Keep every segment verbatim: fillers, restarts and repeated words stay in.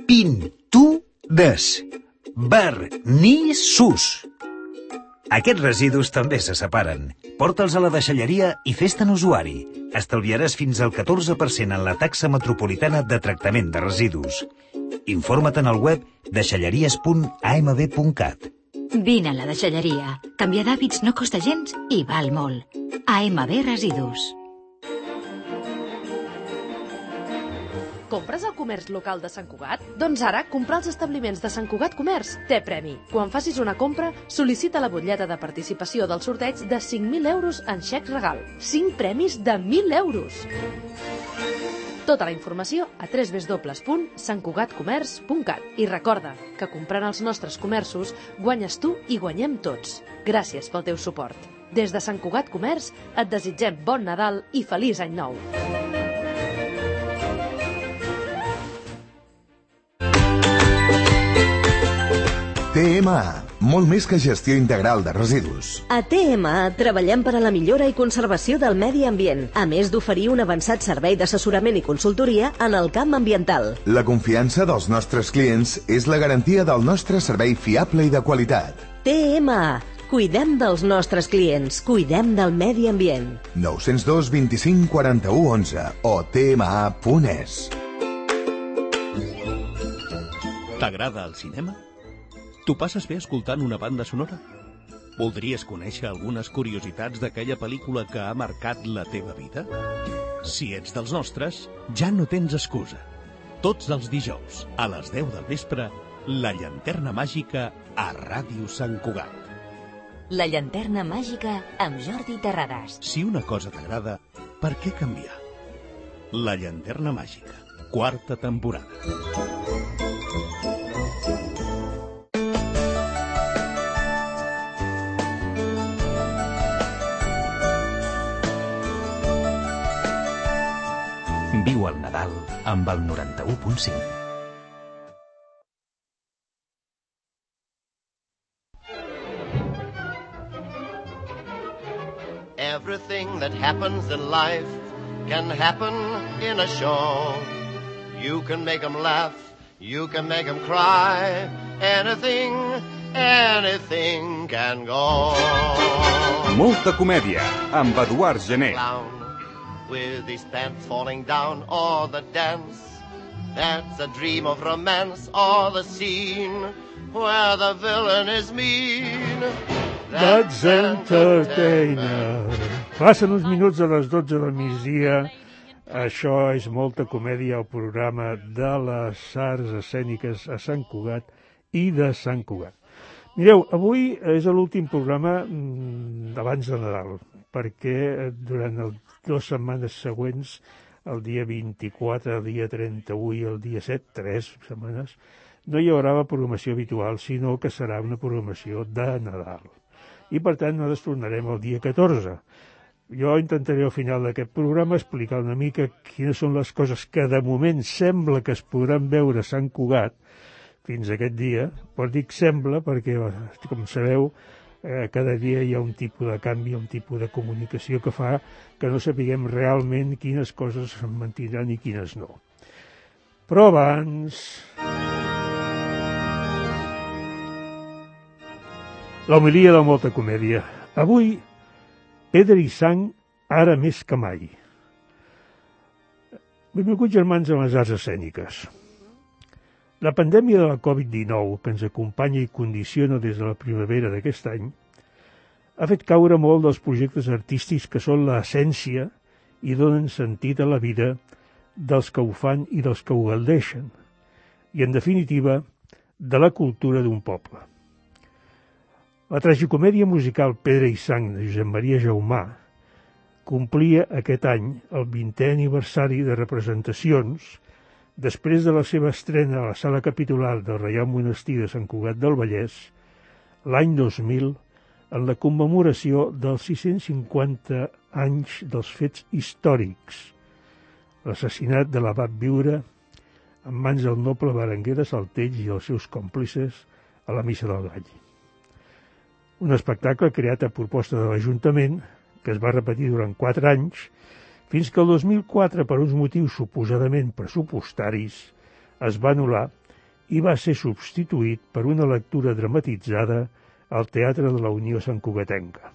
pintudes, vernissos. Aquests residus també se separen. Porta'ls a la deixalleria i fes-te'n usuari. Estalviaràs fins al catorze per cent en la taxa metropolitana de tractament de residus. Informa't en el web deixalleries punt a m b punt cat. Vine a la deixalleria. Canviar d'hàbits no costa gens i val molt. A M B Residus. Compres al comerç local de Sant Cugat? Doncs ara, comprar als establiments de Sant Cugat Comerç té premi. Quan facis una compra, sol·licita la butlleta de participació del sorteig de cinc mil euros en xec regal. cinc premis de mil euros! Tota la informació a w w w punt sant cugat comerç punt cat. I recorda que comprant als nostres comerços guanyes tu i guanyem tots. Gràcies pel teu suport. Des de Sant Cugat Comerç et desitgem bon Nadal i feliç any nou. T M A, molt més que gestió integral de residus. A T M A treballem per a la millora i conservació del medi ambient, a més d'oferir un avançat servei d'assessorament i consultoria en el camp ambiental. La confiança dels nostres clients és la garantia del nostre servei fiable i de qualitat. T M A, cuidem dels nostres clients, cuidem del medi ambient. nou zero dos vint-i-cinc quaranta-u onze o t m a punt e s. T'agrada el cinema? T'ho passes bé escoltant una banda sonora? Voldries conèixer algunes curiositats d'aquella pel·lícula que ha marcat la teva vida? Si ets dels nostres, ja no tens excusa. Tots els dijous, a les deu del vespre, La Llanterna Màgica a Ràdio Sant Cugat. La Llanterna Màgica amb Jordi Terrades. Si una cosa t'agrada, per què canviar? La Llanterna Màgica, quarta temporada. Viu el Nadal amb el noranta-u punt cinc. Everything that happens in life can happen in a show. You can make them laugh, you can make them cry. Anything, anything can go. Molta comèdia, amb Eduard Gené. Clown with his pants falling down, or the dance that's a dream of romance, or the scene where the villain is mean. That's Entertainer. Passen uns minuts a les dotze del migdia. Això és Molta Comèdia, el programa de les arts escèniques a Sant Cugat i de Sant Cugat. Mireu, avui és l'últim programa d'abans de Nadal, perquè durant les dues setmanes següents, el dia vint-i-quatre, el dia trenta-u i el dia set, tres setmanes, no hi haurà la programació habitual, sinó que serà una programació de Nadal. I, per tant, nosaltres tornarem el dia catorze. Jo intentaré al final d'aquest programa explicar una mica quines són les coses que de moment sembla que es podran veure a Sant Cugat fins aquest dia, però dic sembla perquè, com sabeu, eh, cada dia hi ha un tipus de canvi, un tipus de comunicació que fa que no sapiguem realment quines coses es mantindran i quines no. Però abans... l'homilia de Molta Comèdia. Avui, pedra i sang, ara més que mai. Benvinguts, germans, a les arts escèniques. La pandèmia de la covid dinou, que ens acompanya i condiciona des de la primavera d'aquest any, ha fet caure molt dels projectes artístics que són l'essència i donen sentit a la vida dels que ho fan i dels que ho gaudeixen, i, en definitiva, de la cultura d'un poble. La tragicomèdia musical Pedra i sang de Josep Maria Jaumà complia aquest any el vintè aniversari de representacions després de la seva estrena a la sala capitular del Reial Monestir de Sant Cugat del Vallès l'any dos mil en la commemoració dels sis-cents cinquanta anys dels fets històrics, l'assassinat de l'abat Viure en mans del noble Berenguer de Saltells i els seus còmplices a la Missa del Gall. Un espectacle creat a proposta de l'Ajuntament, que es va repetir durant quatre anys, fins que el dos mil quatre, per uns motius suposadament pressupostaris, es va anul·lar i va ser substituït per una lectura dramatitzada al Teatre de la Unió Santcugatenca.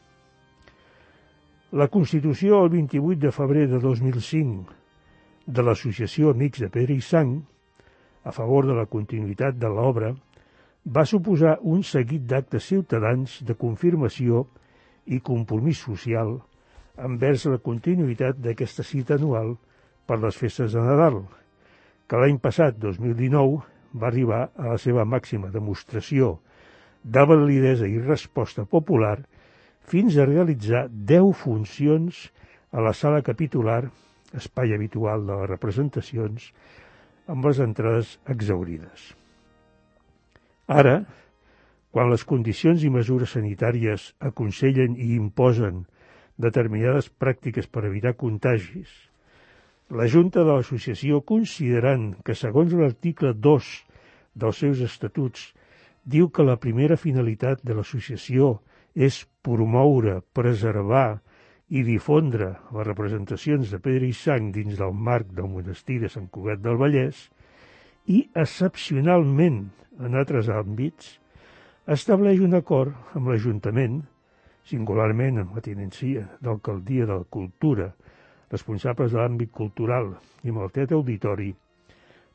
La Constitució el vint-i-vuit de febrer de dos mil cinc de l'Associació Amics de Pedra i Sang, a favor de la continuïtat de l'obra, va suposar un seguit d'actes ciutadans de confirmació i compromís social envers la continuïtat d'aquesta cita anual per les festes de Nadal, que l'any passat, dos mil dinou, va arribar a la seva màxima demostració de validesa i resposta popular fins a realitzar deu funcions a la sala capitular, espai habitual de les representacions, amb les entrades exhaurides. Ara, quan les condicions i mesures sanitàries aconsellen i imposen determinades pràctiques per evitar contagis, la Junta de l'Associació, considerant que, segons l'article dos dels seus estatuts, diu que la primera finalitat de l'associació és promoure, preservar i difondre les representacions de Pedra i Sang dins del marc del monestir de Sant Cugat del Vallès i, excepcionalment, en altres àmbits, estableix un acord amb l'Ajuntament, singularment amb la tinència d'Alcaldia de la Cultura, responsables de l'àmbit cultural i amb el Teatre Auditori,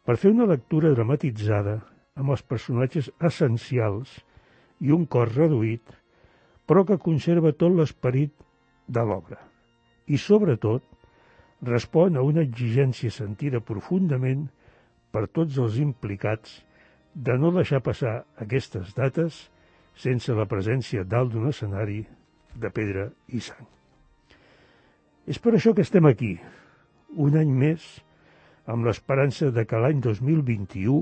per fer una lectura dramatitzada amb els personatges essencials i un cor reduït, però que conserva tot l'esperit de l'obra. I, sobretot, respon a una exigència sentida profundament per tots els implicats de no deixar passar aquestes dates sense la presència dalt d'un escenari de pedra i sang. És per això que estem aquí, un any més, amb l'esperança de que l'any dos mil vint-i-u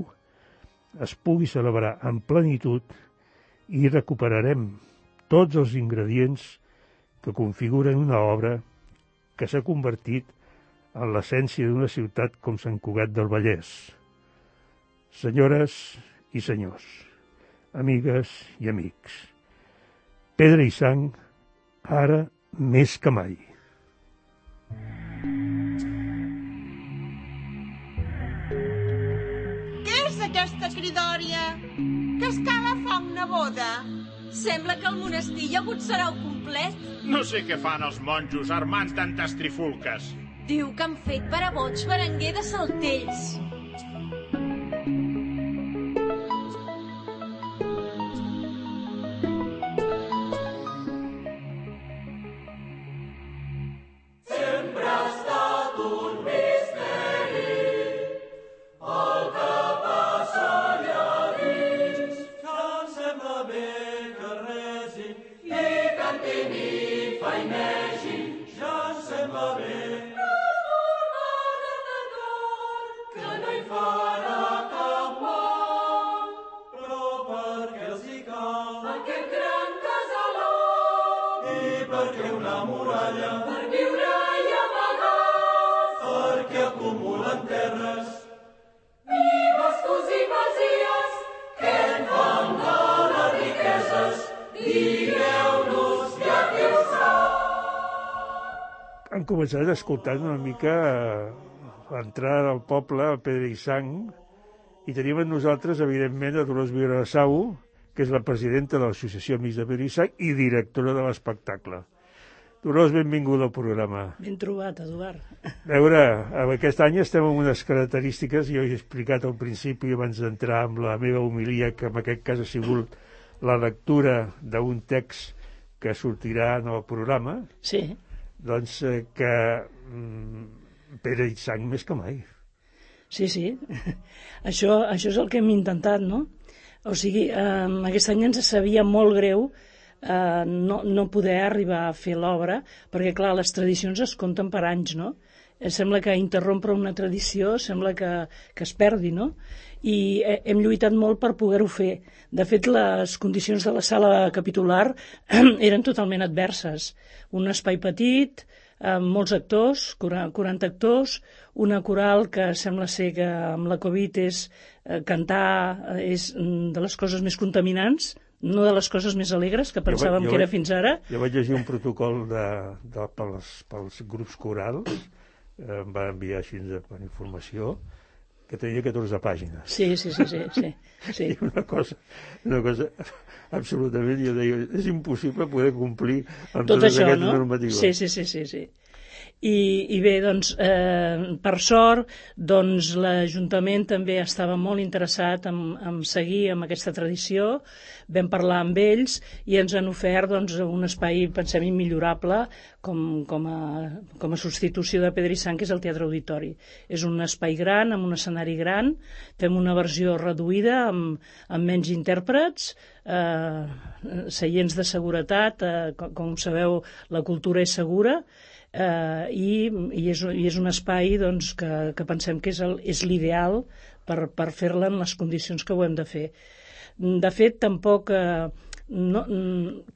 es pugui celebrar en plenitud i recuperarem tots els ingredients que configuren una obra que s'ha convertit en l'essència d'una ciutat com Sant Cugat del Vallès. Senyores i senyors, amigues i amics, Pedra i Sang, ara més que mai. Què és aquesta cridòria? Que escala fa una boda? Sembla que el monestir hi ha hagut sarau complet. No sé què fan els monjos armant tantes trifulques. Diu que han fet per a boig Berenguer de Saltells. Han començat escoltant una mica l'entrada del poble, el Pedra i Sang, i tenim amb nosaltres, evidentment, a Dolors Vilarasau, que és la presidenta de l'Associació Amics de Pedra i Sang i directora de l'espectacle. Dolors, benvinguda al programa. Ben trobat, Eduard. A veure, aquest any estem amb unes característiques, jo he explicat al principi, abans d'entrar amb la meva homilia, que en aquest cas ha sigut la lectura d'un text que sortirà en el programa. Sí. Doncs eh, que mm, Pedra i Sang més que mai. Sí, sí. Això, això és el que hem intentat, no? O sigui, eh, aquest any ens sabia molt greu eh, no, no poder arribar a fer l'obra, perquè, clar, les tradicions es compten per anys, no? Eh, sembla que interrompre una tradició sembla que, que es perdi, no? I eh, hem lluitat molt per poder-ho fer. De fet, les condicions de la sala capitular eren totalment adverses. Un espai petit, amb molts actors, quaranta actors, una coral que sembla ser que amb la Covid és eh, cantar és de les coses més contaminants, no de les coses més alegres que pensàvem jo, jo que era vaig, fins ara. Jo vaig llegir un protocol de, de, pels, pels grups corals, eh, em va enviar així per informació, que tenia catorze pàgines. Sí, sí, sí, sí. sí, sí. I una cosa, una cosa absolutament, jo deia, és impossible poder complir amb tot totes això, aquestes no? normatives. Sí, sí, sí, sí, sí. I, i bé, doncs, eh, per sort, doncs, l'Ajuntament també estava molt interessat en, en seguir amb aquesta tradició. Vam parlar amb ells i ens han ofert doncs, un espai, pensem, immillorable com, com, a, com a substitució de Pedrissant, que és el Teatre Auditori. És un espai gran, amb un escenari gran, fem una versió reduïda amb, amb menys intèrprets, eh, seients de seguretat, eh, com, com sabeu, la cultura és segura, Uh, i, i, és, i és un espai doncs, que, que pensem que és, el, és l'ideal per, per fer-la en les condicions que ho hem de fer. De fet, tampoc uh, no,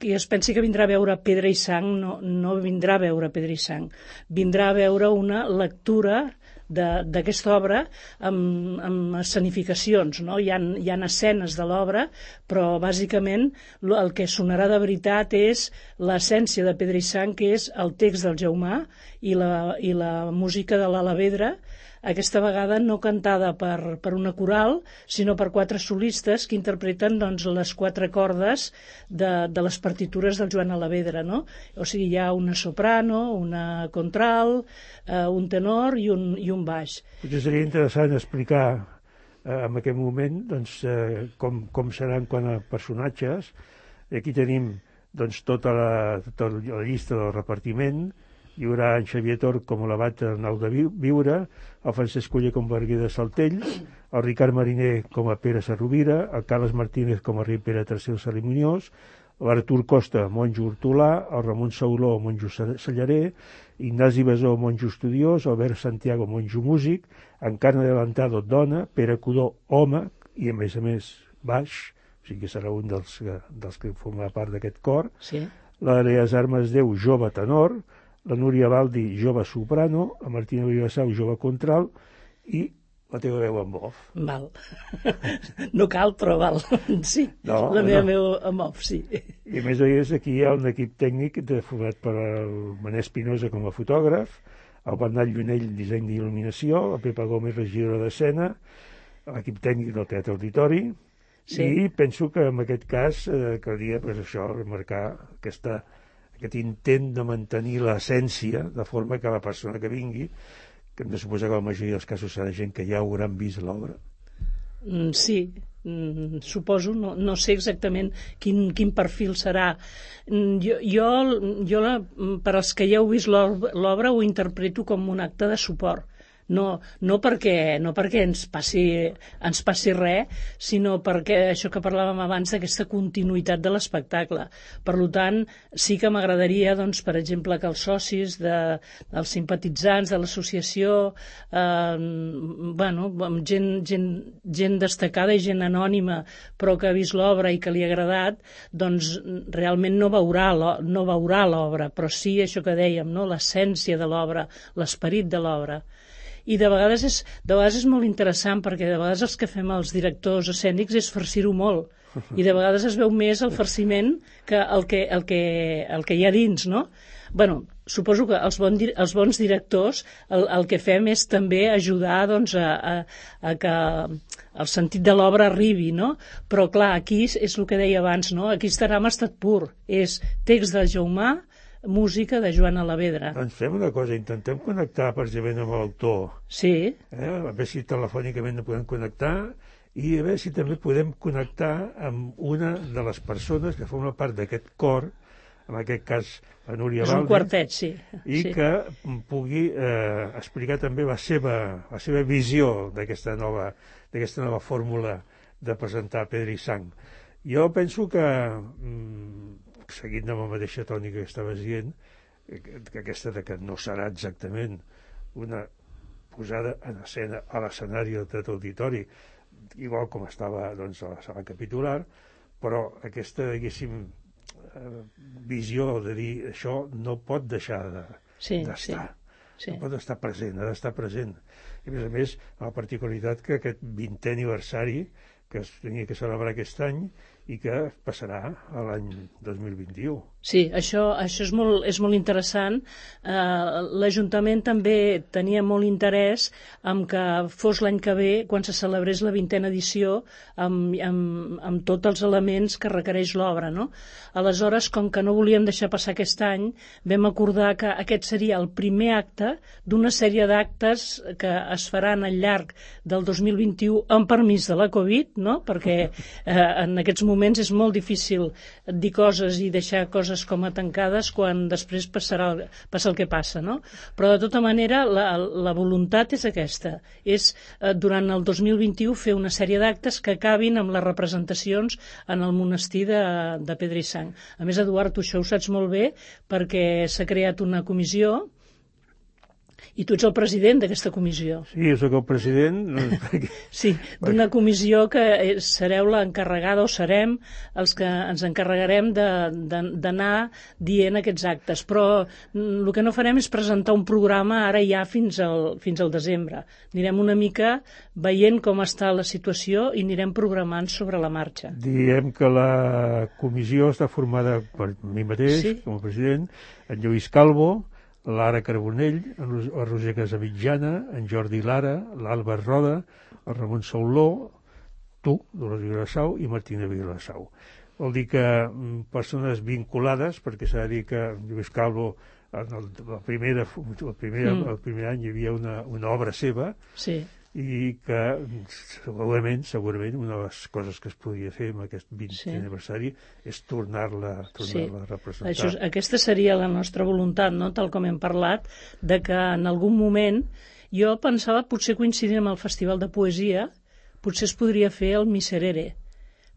qui es pensi que vindrà a veure Pedra i Sang no, no vindrà a veure Pedra i Sang, vindrà a veure una lectura d'aquesta obra amb, amb escenificacions, no? Hi ha, hi ha escenes de l'obra, però bàsicament el que sonarà de veritat és l'essència de Pedra i Sang, que és el text del Jaumà i la, i la música de l'Alavedra, aquesta vegada no cantada per, per una coral, sinó per quatre solistes que interpreten doncs, les quatre cordes de, de les partitures del Joan Alavedra, no? O sigui, hi ha una soprano, una contralt, eh, un tenor i un, i un baix. Potser seria interessant explicar eh, en aquest moment doncs, eh, com, com seran quant a personatges. Aquí tenim doncs, tota, la, tota la llista del repartiment. Hi haurà en Xavier Tor com l'abat Arnau de Viure, el Francesc Oller com a Barguer de Saltells, el Ricard Mariner com a Pere Sarrovira, el Carles Martínez com a rei Pere tercer Cerimoniós, l'Artur Costa, monjo hortolà, el Ramon Sauló, monjo cellarer, Ignasi Besó, monjo estudiós, Albert Santiago, monjo músic, Encarna de Lantado, dona, Pere Codó, home, i a més a més baix, o sigui que serà un dels, dels que formarà part d'aquest cor, sí. L'Aleas Armes Déu, jove tenor, la Núria Baldi, jove soprano, la Martina Vivassau, jove contralt, i la teva veu amb off. Val. No cal, però val. Sí, no, la meva no. veu amb off, sí. I a més a més aquí hi ha un equip tècnic format per el Manel Espinosa com a fotògraf, el Bernat Llunell, disseny d'il·luminació, la Pepa Gómez, regidora d'escena, l'equip tècnic del Teatre Auditori, sí. I penso que en aquest cas eh, caldria pues, això, remarcar aquesta aquest intent de mantenir l'essència, de forma que la persona que vingui, que hem de suposar que la majoria dels casos serà gent que ja hauran vist l'obra. Mm, sí, mm, suposo, no, no sé exactament quin, quin perfil serà. Mm, jo, jo, jo la, per als que ja heu vist l'obra, ho interpreto com un acte de suport. No, no, perquè, no perquè ens passi, ens passi res, sinó perquè això que parlàvem abans d'aquesta continuïtat de l'espectacle. Per tant, sí que m'agradaria, doncs, per exemple, que els socis de, dels simpatitzants de l'associació, eh, bueno, gent, gent, gent destacada i gent anònima, però que ha vist l'obra i que li ha agradat, doncs realment no veurà, no veurà l'obra, però sí això que dèiem, no? L'essència de l'obra, l'esperit de l'obra. I de vegades, és, de vegades és molt interessant perquè de vegades els que fem els directors escènics és farcir-ho molt i de vegades es veu més el farciment que el que, el que, el que hi ha dins, no? Bueno, suposo que els, bon, els bons directors el, el que fem és també ajudar doncs, a, a, a que el sentit de l'obra arribi, no? Però clar, aquí és, és el que deia abans, no? Aquí estarà en estat pur, és text de Jaumà, música de Joan Alavedra. Doncs fem una cosa, intentem connectar precisament amb l'autor. Sí. Eh? A veure si telefònicament no podem connectar i a veure si també podem connectar amb una de les persones que forma part d'aquest cor, en aquest cas la Núria Baldi. És un quartet, sí. I sí. que pugui eh, explicar també la seva, la seva visió d'aquesta nova, d'aquesta nova fórmula de presentar Pedra i Sang. Jo penso que... Mm, seguint amb la mateixa tònica que estaves dient, que aquesta de que no serà exactament una posada en escena a l'escenari del Teatre Auditori, igual com estava doncs, a la sala capitular, però aquesta, diguéssim, visió de dir això no pot deixar d'estar. Sí, sí, sí. No pot estar present, ha d'estar present. I a més a més, la particularitat que aquest vintè aniversari que es tenia que celebrar aquest any i que passarà a l'any dos mil vint-i-u. Sí, això, això és, molt, és molt interessant. Uh, L'Ajuntament també tenia molt interès en que fos l'any que ve, quan se celebrés la vintena edició, amb, amb, amb tots els elements que requereix l'obra, no? Aleshores, com que no volíem deixar passar aquest any, vam acordar que aquest seria el primer acte d'una sèrie d'actes que es faran al llarg del dos mil vint-i-u amb permís de la Covid, no? Perquè eh, en aquests moments és molt difícil dir coses i deixar coses com a tancades quan després passarà el, passa el que passa, no? Però de tota manera la, la voluntat és aquesta, és eh, durant el dos mil vint-i-u fer una sèrie d'actes que acabin amb les representacions en el monestir de, de Pedra-i-Sang. A més, Eduard, tu això ho saps molt bé perquè s'ha creat una comissió i tu ets el president d'aquesta comissió. Sí, jo soc el president. Sí, d'una comissió que sereu l'encarregada, o serem els que ens encarregarem d'anar dient aquests actes. Però el que no farem és presentar un programa ara ja fins al, fins al desembre. Anirem una mica veient com està la situació i anirem programant sobre la marxa. Diem que la comissió està formada per mi mateix, sí, com a president, en Lluís Calvo, l'Ara Carbonell, el Roger Casamitjana, en Jordi Lara, l'Alba Roda, el Ramon Sauló, tu, Dolors Vilassau, i Martina Vilassau. Vol dir que persones vinculades, perquè s'ha de dir que Lluís Calvo, en el, la primera, el, primer, mm. el primer any hi havia una, una obra seva, sí, i que segurament, segurament una de les coses que es podia fer amb aquest vintè sí. aniversari és tornar-la tornar sí. a representar. Això, aquesta seria la nostra voluntat, no? Tal com hem parlat, de que en algun moment jo pensava, potser coincidint amb el Festival de Poesia, potser es podria fer el Miserere,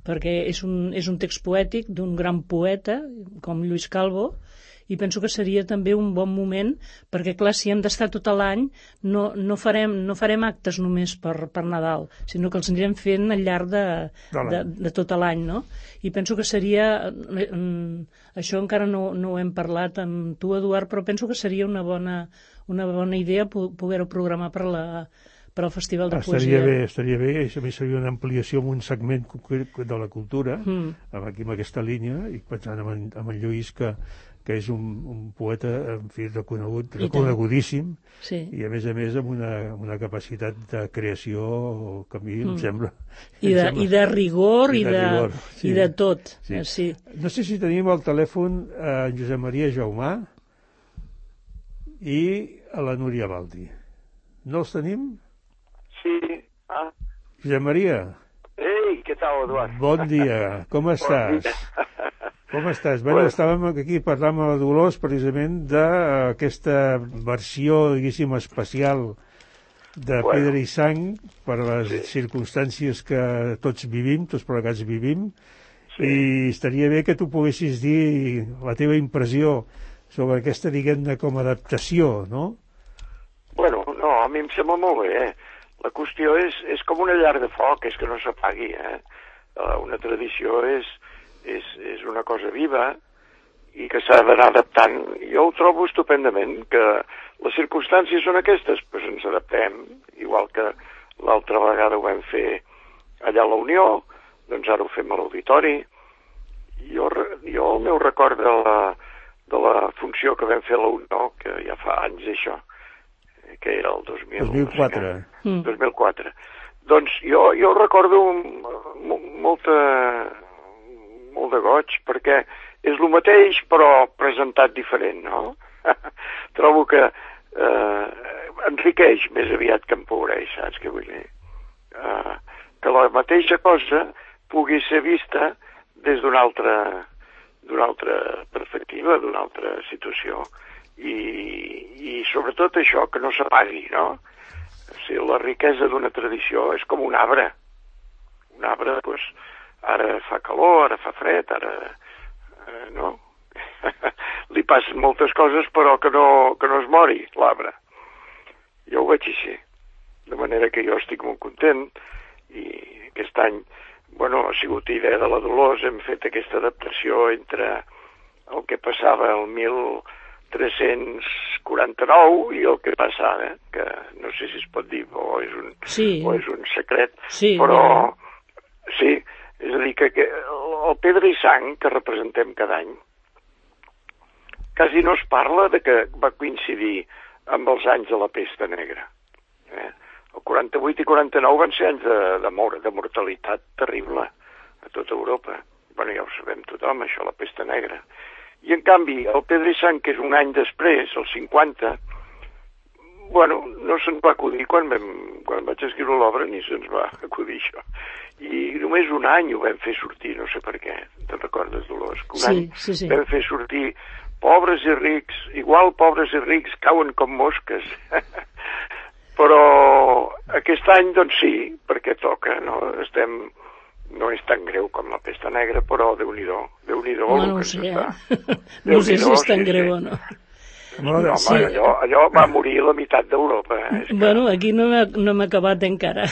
perquè és un, és un text poètic d'un gran poeta com Lluís Calvo, i penso que seria també un bon moment, perquè clar, si hem d'estar tot l'any, no, no, farem, no farem actes només per, per Nadal, sinó que els anirem fent al llarg de, de, de tot l'any, no? I penso que seria, això encara no, no ho hem parlat amb tu, Eduard, però penso que seria una bona, una bona idea poder-ho programar per la per al Festival de estaria Poesia. Bé, estaria bé, i a més seria una ampliació en un segment de la cultura, mm. aquí amb aquesta línia, i pensant amb en, amb en Lluís, que que és un, un poeta, en fi, reconegut, reconegudíssim, sí. i a més a més amb una, una capacitat de creació que a mi mm. em sembla... I de, em sembla, i de rigor, i de, i de, rigor, sí. i de tot. Sí. Sí. No sé si tenim al telèfon a en Josep Maria Jaumà i a la Núria Baldi. No els tenim? Sí. Ah. Josep Maria. Ei, què tal, Eduard? Bon dia, com estàs? Bon dia. Com estàs? Bé, bueno, estàvem aquí parlant amb la Dolors precisament d'aquesta versió, diguéssim, especial de bueno. Pedra i Sang per les sí. circumstàncies que tots vivim, tots plegats vivim, sí. i estaria bé que tu poguessis dir la teva impressió sobre aquesta, diguem-ne, com a adaptació, no? Bueno, no, a mi em sembla molt bé, eh? La qüestió és, és com una llar de foc, és que no s'apagui, eh? Una tradició és... És, és una cosa viva i que s'ha d'anar adaptant. Jo ho trobo estupendament, que les circumstàncies són aquestes, doncs ens adaptem, igual que l'altra vegada ho vam fer allà a la Unió, doncs ara ho fem a l'Auditori. Jo, jo el meu record de la, de la funció que vam fer a la Unió, que ja fa anys això, que era el dos mil quatre. Mm. dos mil quatre. Doncs jo, jo recordo molta... molt de goig, perquè és el mateix però presentat diferent, no? Trobo que eh, enriqueix més aviat que empobreix, saps què vull dir? Eh, que la mateixa cosa pugui ser vista des d'una altra, d'una altra perspectiva, d'una altra situació, i, i sobretot això, que no s'apagui, no? O sigui, la riquesa d'una tradició és com un arbre. Un arbre, doncs, ara fa calor, ara fa fred, ara... Eh, no? Li passen moltes coses, però que no, que no es mori, l'arbre. Jo ho veig així. De manera que jo estic molt content, i aquest any, bueno, ha sigut idea de la Dolors, hem fet aquesta adaptació entre el que passava el mil tres-cents quaranta-nou i el que passa ara, que no sé si es pot dir, o és un, sí. o és un secret, sí, però... ja. Sí, és a dir, que, que el Pedra i Sang, que representem cada any, quasi no es parla de que va coincidir amb els anys de la pesta negra. Eh? El quaranta-vuit i quaranta-nou van ser anys de, de, mort, de mortalitat terrible a tota Europa. Bueno, ja ho sabem tothom, això, la pesta negra. I en canvi, el Pedra i Sang, que és un any després, el cinquanta, bueno, no se'ns va acudir quan, vam, quan vaig escriure l'obra, ni se'ns va acudir això. I només un any ho vam fer sortir, no sé per què, te'n recordes, Dolors? Que un sí, any sí, sí. vam fer sortir pobres i rics, igual pobres i rics cauen com mosques. Però aquest any, doncs sí, perquè toca, no? Estem... No és tan greu com la pesta negra, però Déu-n'hi-do, Déu-n'hi-do Home, no ho sé, eh? No sé si és tan greu o no. No, home, sí. allò, allò va morir la meitat d'Europa. Eh? Que... Bueno, aquí no m'ha no acabat encara.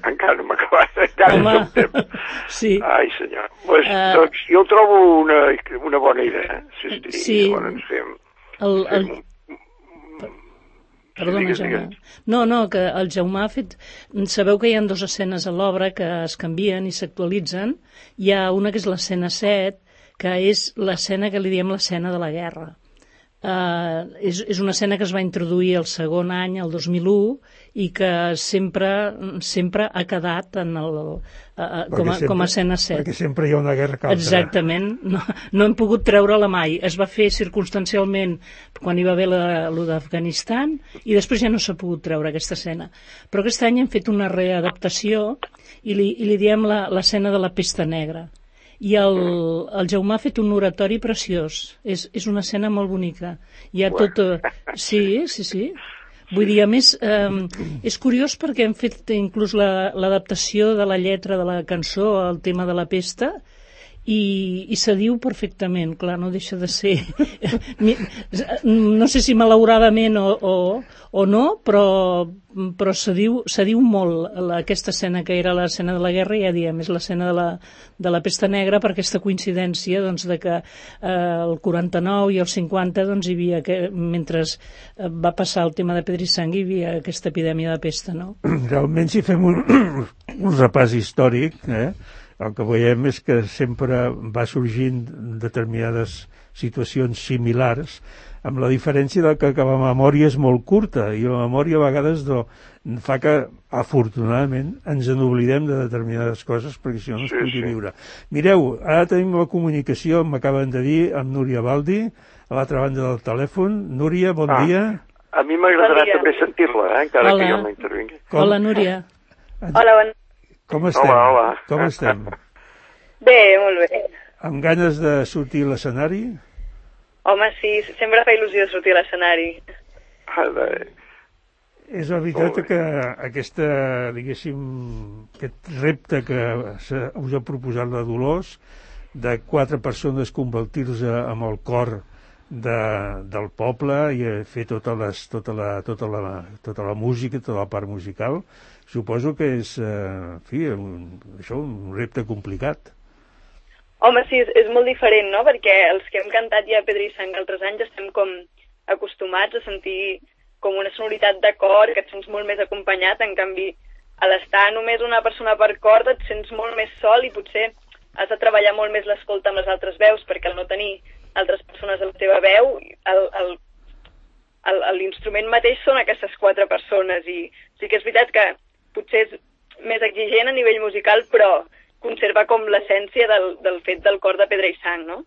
Encara no m'ha acabat, encara home, no temps. Sí. Ai, senyor. Pues, uh, doncs jo trobo una, una bona idea. Sí, sí, sí. Llavors ens fem... El, el... fem un... Perdona, digues, Jaume. digues. No, no, que el Jaume ha fet... Sabeu que hi ha dues escenes a l'obra que es canvien i s'actualitzen. Hi ha una que és l'escena set, que és l'escena que li diem l'escena de la guerra. Uh, és, és una escena que es va introduir el segon any, el dos mil u, i que sempre sempre ha quedat en el, uh, com, a, sempre, com a escena set. Perquè sempre hi ha una guerra calta. Exactament. No, no hem pogut treure-la mai. Es va fer circumstancialment quan hi va haver lo d'Afganistan i després ja no s'ha pogut treure aquesta escena. Però aquest any hem fet una readaptació i li, i li diem l'escena de la pesta negra. I el, el Jaume ha fet un oratori preciós. És, és una escena molt bonica. Hi ha tot... Sí, sí, sí. Vull dir, a més, eh, és curiós perquè hem fet inclús l'adaptació de la lletra de la cançó al tema de la pesta i, i se diu perfectament, clar, no deixa de ser... No sé si malauradament o, o, o no, però, però se, diu, se diu molt aquesta escena que era l'escena de la guerra, ja diem, és l'escena de, la, de la pesta negra per aquesta coincidència doncs, de que eh, el quaranta-nou i el cinquanta doncs, hi havia, que, mentre va passar el tema de Pedra i Sang, hi havia aquesta epidèmia de pesta, no? Realment, si fem un, un repàs històric, eh, el que veiem és que sempre va sorgint determinades situacions similars, amb la diferència de que, que la memòria és molt curta i la memòria a vegades no, fa que, afortunadament, ens n'oblidem de determinades coses perquè si no no es pugui sí, viure. Sí. Mireu, ara tenim la comunicació, m'acaben de dir, amb Núria Baldi, a l'altra banda del telèfon. Núria, bon ah, dia. A mi m'agradarà bon també sentir-la, eh, encara hola. Que jo no intervingui. Com? Hola, Núria. Hola, bon Com estem? Hola, hola. Com estem? Bé, molt bé. Amb ganes de sortir a l'escenari? Home, sí, sempre fa il·lusió sortir a l'escenari. Ah, bé. És la veritat que aquesta, diguéssim, aquest repte que us ha proposat la Dolors, de quatre persones convertir-se amb el cor de, del poble i fer tota, les, tota, la, tota, la, tota la música, tota la part musical, suposo que és, eh, en fi, un, això, un repte complicat. Home, sí, és, és molt diferent, no?, perquè els que hem cantat ja Pedra i Sang altres anys estem com acostumats a sentir com una sonoritat de cor, que et sents molt més acompanyat, en canvi, a l'estar només una persona per cor et sents molt més sol i potser has de treballar molt més l'escolta amb les altres veus, perquè al no tenir altres persones a la teva veu, l'instrument mateix són aquestes quatre persones, i sí que és veritat que potser és més exigent a nivell musical, però conserva com l'essència del, del fet del cor de Pedra i Sang, no?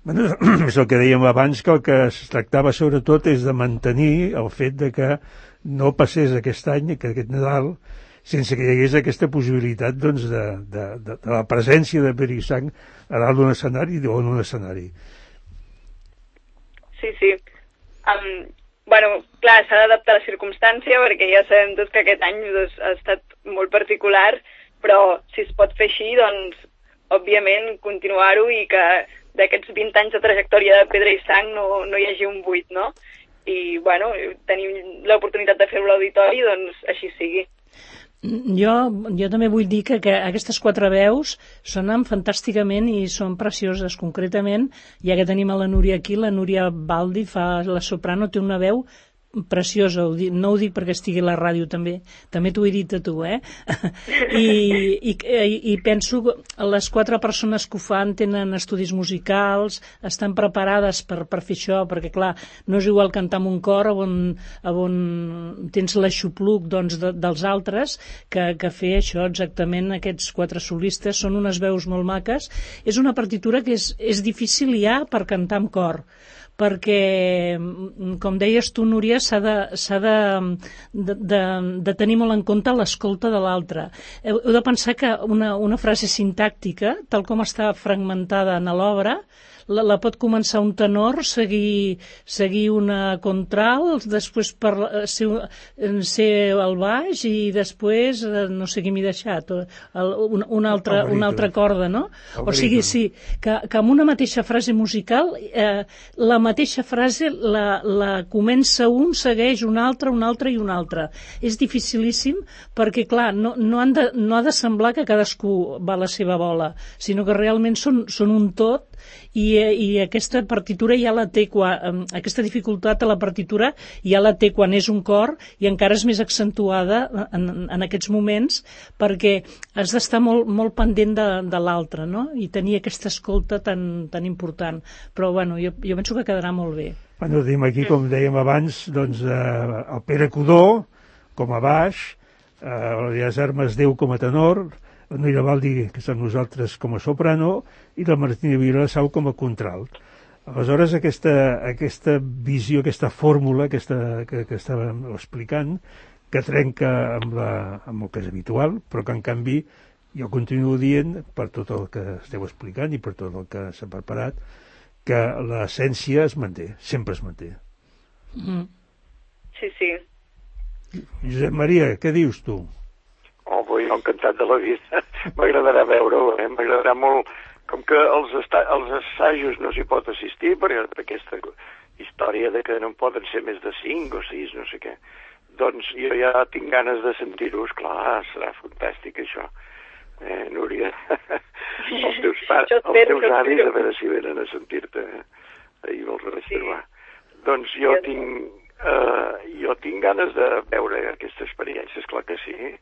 Bueno, és el que dèiem abans, que el que es tractava sobretot és de mantenir el fet de que no passés aquest any, que aquest Nadal, sense que hi hagués aquesta possibilitat doncs, de, de, de, de la presència de Pedra i Sang a dalt d'un escenari o en un escenari. Sí, sí. Um, bueno, clar, s'ha d'adaptar a la circumstància, perquè ja sabem tots que aquest any doncs, ha estat molt particular, però si es pot fer així, doncs, òbviament, continuar-ho i que d'aquests vint anys de trajectòria de Pedra i Sang no, no hi hagi un buit, no? I, bueno, tenim l'oportunitat de fer-ho a l'auditori, doncs així sigui. Jo, jo també vull dir que, que aquestes quatre veus sonen fantàsticament i són precioses. Concretament, ja que tenim a la Núria aquí, la Núria Baldi fa la soprano, té una veu preciosa, ho dic, no ho dic perquè estigui a la ràdio també, també t'ho he dit a tu, eh? I, i, i penso que les quatre persones que ho fan tenen estudis musicals, estan preparades per, per fer això, perquè clar, no és igual cantar en un cor on, on tens l'aixopluc doncs, de, dels altres que, que fer això exactament. Aquests quatre solistes són unes veus molt maques. És una partitura que és, és difícil ja per cantar en cor, perquè, com deies tu, Núria, s'ha de, s'ha de, de, de, de tenir molt en compte l'escolta de l'altre. Heu, heu de pensar que una, una frase sintàctica, tal com està fragmentada en l'obra, la, la pot començar un tenor, seguir, seguir una contral, després per, ser, ser el baix i després, no sé qui m'hi he deixat, el, una, una, altra, una altra corda, no? O sigui, sí, que, que amb una mateixa frase musical, eh, la mateixa frase la, la comença un, segueix un altre, un altre i un altre. És dificilíssim perquè, clar, no, no, han de, no ha de semblar que cadascú va a la seva bola, sinó que realment són, són un tot. I, i aquesta partitura ja la té quan, aquesta dificultat a la partitura ja la té quan és un cor i encara és més accentuada en, en aquests moments perquè has d'estar molt, molt pendent de, de l'altre, no? I tenir aquesta escolta tan, tan important. Però bueno, jo, jo penso que quedarà molt bé. Bueno, tenim aquí, com dèiem abans, doncs, eh, el Pere Codó com a baix, eh, les Armes Déu com a tenor, la Núria Baldi, que som nosaltres, com a soprano, i la Martina Vilassau com a contralt. Aleshores, aquesta, aquesta visió, aquesta fórmula aquesta, que, que estàvem explicant, que trenca amb, la, amb el que és habitual, però que, en canvi, jo continuo dient, per tot el que esteu explicant i per tot el que s'ha preparat, que l'essència es manté, sempre es manté. Mm. Sí, sí. Josep Maria, què dius tu? Oh, jo encantat de la vida. M'agradarà veure-ho, eh? M'agradarà molt. Com que els, els assajos no s'hi pot assistir per, per aquesta història de que no en poden ser més de cinc o sis, no sé què, doncs jo ja tinc ganes de sentir-ho. Esclar, serà fantàstic això. Eh, Núria, els teus, pares, els teus avis, a veure si venen a sentir-te ahir vols reservar. Sí. Doncs jo tinc, uh, jo tinc ganes de veure aquesta experiència, esclar que sí.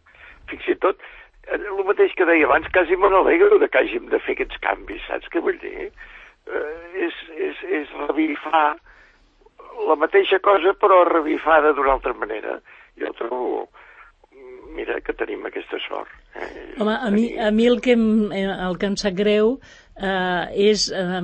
Fins i tot, el mateix que deia abans, quasi me n'alegro de que hàgim de fer aquests canvis, saps què vull dir? Eh, és, és, és revifar la mateixa cosa, però revifada d'una altra manera. Jo trobo, mira, que tenim aquesta sort. Eh? Home, a mi, a mi el, que em, el que em sap greu eh, és... Eh,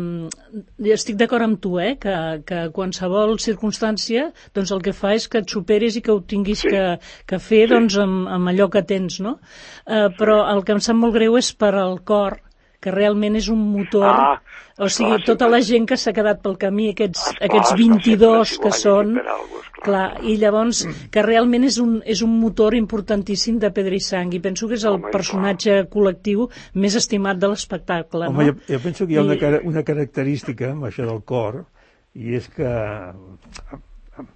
estic d'acord amb tu, eh, que, que qualsevol circumstància doncs el que fa és que et superis i que ho tinguis sí. que, que fer sí. doncs, amb, amb allò que tens, no? Eh, però el que em sap molt greu és per al cor, que realment és un motor, ah, o sigui, clar, tota la gent que s'ha quedat pel camí, aquests, esclar, aquests vint-i-dos que són, algo, clar, i llavors que realment és un, és un motor importantíssim de Pedra i Sang, i penso que és el Home, personatge clar. col·lectiu més estimat de l'espectacle. Home, no? jo, jo penso que hi ha una, I... una característica amb això del cor, i és que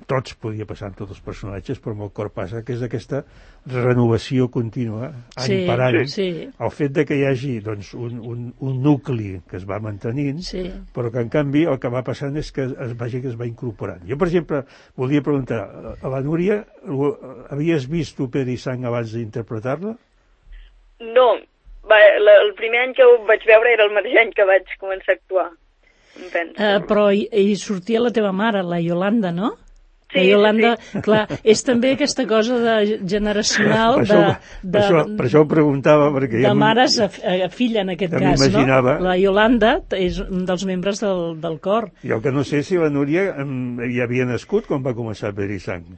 tots podia passar amb tots els personatges, però amb el cor passa, que és aquesta renovació contínua, any sí, per any. Sí. El fet de que hi hagi doncs, un, un, un nucli que es va mantenint, sí. però que en canvi el que va passant és que es vagi que es va incorporant. Jo, per exemple, volia preguntar, a la Núria, havies vist tu Pedra i Sang abans d'interpretar-la? No, va, la, el primer any que ho vaig veure era el mateix any que vaig començar a actuar. Uh, però hi, hi sortia la teva mare, la Iolanda, no? Sí, la Iolanda, sí. Clar, és també aquesta cosa de generacional de, de, per, això, per això ho preguntava, perquè de ja mares a, a filla en aquest cas, no? La Iolanda és un dels membres del, del cor. I el que no sé si la Núria hi havia nascut quan va començar Pedra i Sang.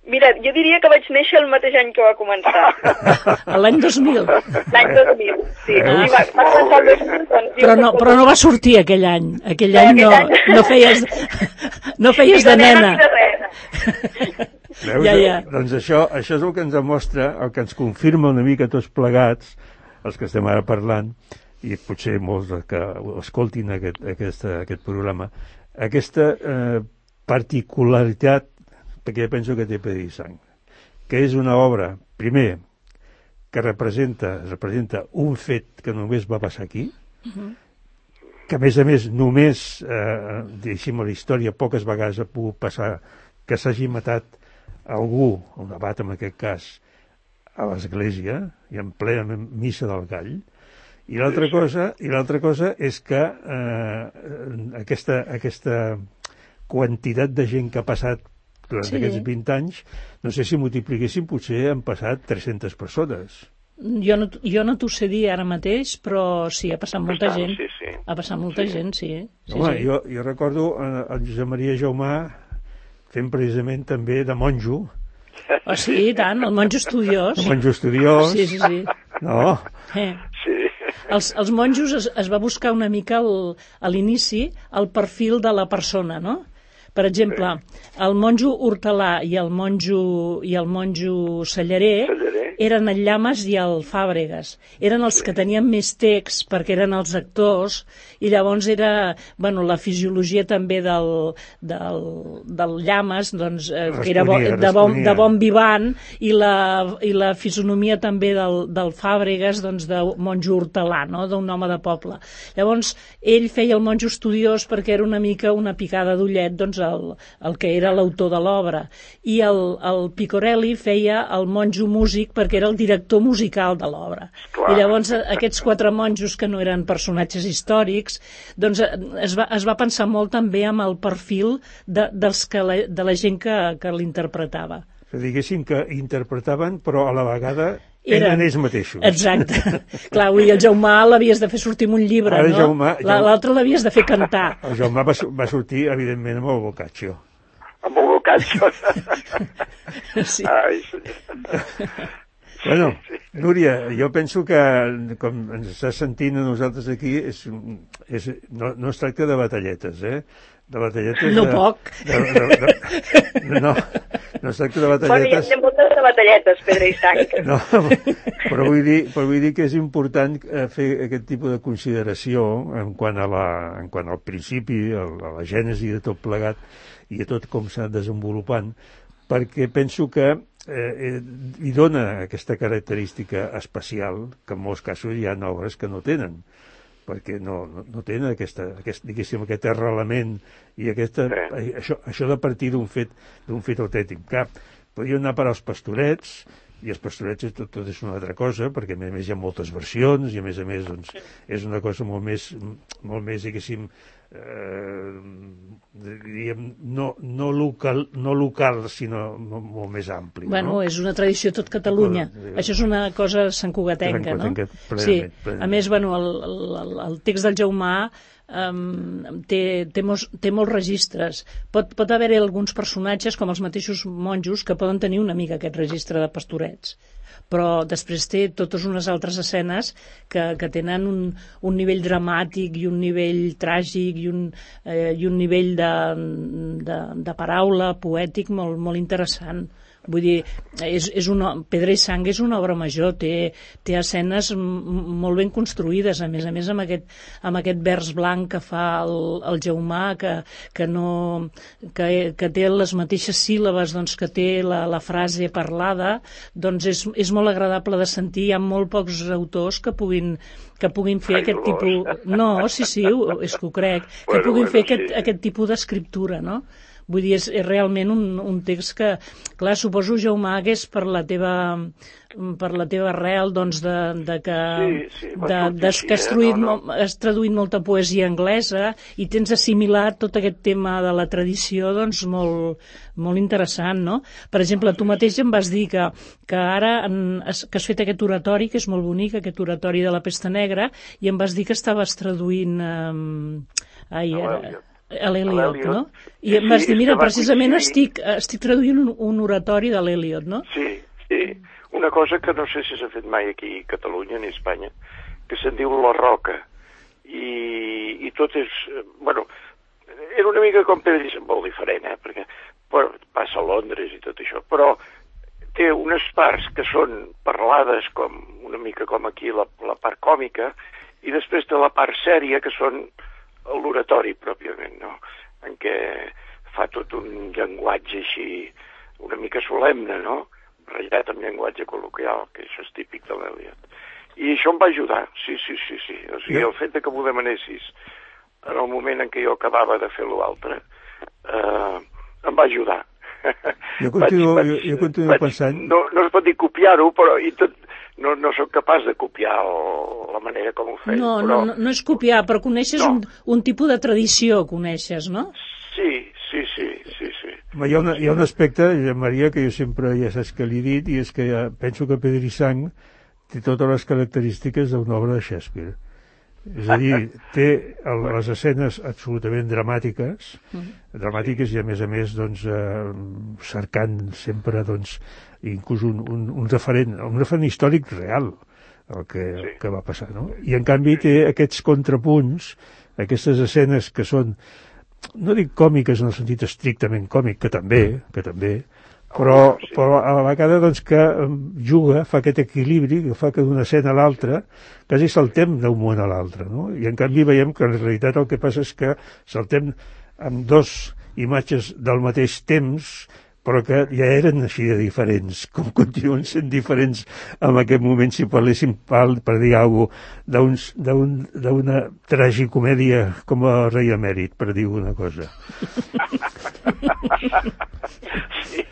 Mira, jo diria que vaig néixer el mateix any que va començar. L'any dos mil. L'any dos mil, sí. Ah. sí va, va començar el dos mil, doncs, però, no, però no va sortir aquell any. Aquell no, any no, any... no feies, no feies de nena. Veus? Ja, ja. Doncs això, això és el que ens demostra, el que ens confirma una mica tots plegats, els que estem ara parlant, i potser molts que escoltin aquest, aquest, aquest programa, aquesta eh, particularitat, perquè jo penso que té Pedra i Sang, que és una obra, primer, que representa, representa un fet que només va passar aquí, uh-huh. que a més a més només, eh, deixem la història, poques vegades ha pogut passar que s'hagi matat algú, un abat en aquest cas, a l'església, i en plena missa del gall, i l'altra cosa, i l'altra cosa és que eh, aquesta, aquesta quantitat de gent que ha passat durant sí. aquests vint anys, no sé si multipliquéssim, potser han passat tres-centes persones. Jo no, jo no t'ho sé dir ara mateix, però sí, ha passat molta Bastant, gent. sí, sí. Ha passat molta sí. gent, sí. sí, Home, sí. Jo, jo recordo el Josep Maria Jaumà fent precisament també de monjo. Oh, sí, i tant, el monjo estudiós. El monjo estudiós. Sí, sí, sí. No? Eh. Sí. Els, els monjos es, es va buscar una mica el, a l'inici el perfil de la persona, no? Per exemple, el monjo hortelà i el monjo, i el monjo cellarer, cellarer eren el Llamas i el Fàbregas. Eren els sí. que tenien més text perquè eren els actors i llavors era, bueno, la fisiologia també del, del, del Llamas, doncs, eh, que era bo, de, bon, de bon vivant i la, i la fisonomia també del, del Fàbregas, doncs, de monjo hortelà, no?, d'un home de poble. Llavors, ell feia el monjo estudiós perquè era una mica una picada d'ullet, doncs, El, el que era l'autor de l'obra, i el, el Picorelli feia el monjo músic perquè era el director musical de l'obra. I llavors aquests quatre monjos que no eren personatges històrics, doncs es va, es va pensar molt també amb el perfil de, dels que la, de la gent que, que l'interpretava. Que diguéssim que interpretaven, però a la vegada eren ells mateixos. Exacte. Clar, avui el Jaumà l'havies de fer sortir amb un llibre, Ara, no? Jaumà, Jaumà... L'altre l'havies de fer cantar. El Jaumà va, va sortir, evidentment, amb el Boccaccio. Amb el Boccaccio. Sí. Ai, senyor. Bueno, Núria, jo penso que, com ens estàs sentint a nosaltres aquí, és, és, no, no es tracta de batalletes, eh? De batalletes... No de, poc. De, de, de, no, no es tracta de batalletes... Bueno, hi ha moltes de batalletes, Pedra i Sang. No, però vull dir, però vull dir que és important fer aquest tipus de consideració en quant, a la, en quant al principi, a la gènesi de tot plegat i a tot com s'ha desenvolupant, perquè penso que eh, hi dona aquesta característica especial que en molts casos hi ha obres que no tenen, perquè no, no, no tenen aquesta, aquest, diguéssim, aquest arrelament i aquesta, sí. això, això de partir d'un fet, d'un fet autèntic. Clar, podria anar per als Pastorets, i els Pastorets tot, tot és una altra cosa, perquè a més a més hi ha moltes versions, i a més a més doncs, és una cosa molt més, molt més diguéssim, eh, diríem, no, no, local, no local, sinó molt més ampli. Bueno, no? És una tradició tot Catalunya. Cosa, Això és una cosa santcugatenca, no? Plenament, sí. plenament. A més, bueno, el, el, el text del Jaumà um, té, té, molts, té molts registres. Pot, pot haver-hi alguns personatges, com els mateixos monjos, que poden tenir una mica aquest registre de Pastorets, però després té totes unes altres escenes que, que tenen un, un nivell dramàtic i un nivell tràgic i un, eh, i un nivell de, de, de paraula poètic molt, molt interessant. Vull dir, és, és una, Pedra i Sang és una obra major, té, té escenes molt ben construïdes, a més a més amb aquest, amb aquest vers blanc que fa el, el Jaumà, que, que, no, que, que té les mateixes síl·labes doncs, que té la, la frase parlada, doncs és, és molt agradable de sentir. Hi ha molt pocs autors que puguin que puguin fer Ai, aquest tipus... No, sí, sí, és que ho crec, que bueno, puguin bueno, fer aquest, sí. aquest tipus d'escriptura, no? Vull dir, és, és realment un, un text que, clar, suposo, Jaumà, hagués per la teva, per la teva arrel, doncs, de, de que, sí, sí, de, de, que has, traduït, no, no. has traduït molta poesia anglesa i tens assimilat tot aquest tema de la tradició, doncs, molt, molt interessant, no? Per exemple, tu mateix em vas dir que, que ara en, que has fet aquest oratori, que és molt bonic, aquest oratori de la Pesta Negra, i em vas dir que estaves traduint... Eh, ai, ara, a l'Eliot, no? I em vas dir, mira, precisament estic, estic traduint un, un oratori de l'Eliot, no? Sí, sí. Una cosa que no sé si s'ha fet mai aquí a Catalunya ni a Espanya, que se'n diu La Roca. I, i tot és... Bueno, era una mica com Pedra i Sang, molt diferent, eh? Perquè bueno, passa a Londres i tot això, però té unes parts que són parlades com una mica com aquí la, la part còmica, i després té la part sèria, que són l'oratori pròpiament, no? En què fa tot un llenguatge així una mica solemne, no? Ratllat amb llenguatge col·loquial, que això és típic de l'Eliot. I això em va ajudar, sí, sí, sí, sí. O sigui, el fet de que m'ho demanessis en el moment en què jo acabava de fer l'altre, eh, em va ajudar. Jo continuo, vaig, vaig, jo, jo continuo vaig, pensant... No, no es pot dir copiar-ho, però i tot, no, no sóc capaç de copiar el, la manera com ho feia. No, però... no, no és copiar, però coneixes no. un, un tipus de tradició, coneixes, no? Sí, sí, sí, sí, sí. Hi ha, una, hi ha un aspecte, Maria, que jo sempre ja saps que li he dit, i és que ja penso que Pedro i Sang té totes les característiques d'una obra de Shakespeare. És a dir, té el, les escenes absolutament dramàtiques, mm. dramàtiques i a més a més doncs, eh, cercant sempre doncs, inclús un, un, un, referent, un referent històric real el que, sí. el que va passar, no? I en canvi té aquests contrapunts, aquestes escenes que són, no dic còmiques en el sentit estrictament còmic, que també, que també, però, però a la vegada doncs, que juga, fa aquest equilibri que fa que d'una escena a l'altra quasi saltem d'un moment a l'altre, no? I en canvi veiem que en realitat el que passa és que saltem amb dos imatges del mateix temps, però que ja eren així de diferents, com continuen sent diferents en aquest moment, si parléssim, per, per dir alguna cosa, d'una un, tragicomèdia com a Rei Emèrit, per dir una cosa. Sí.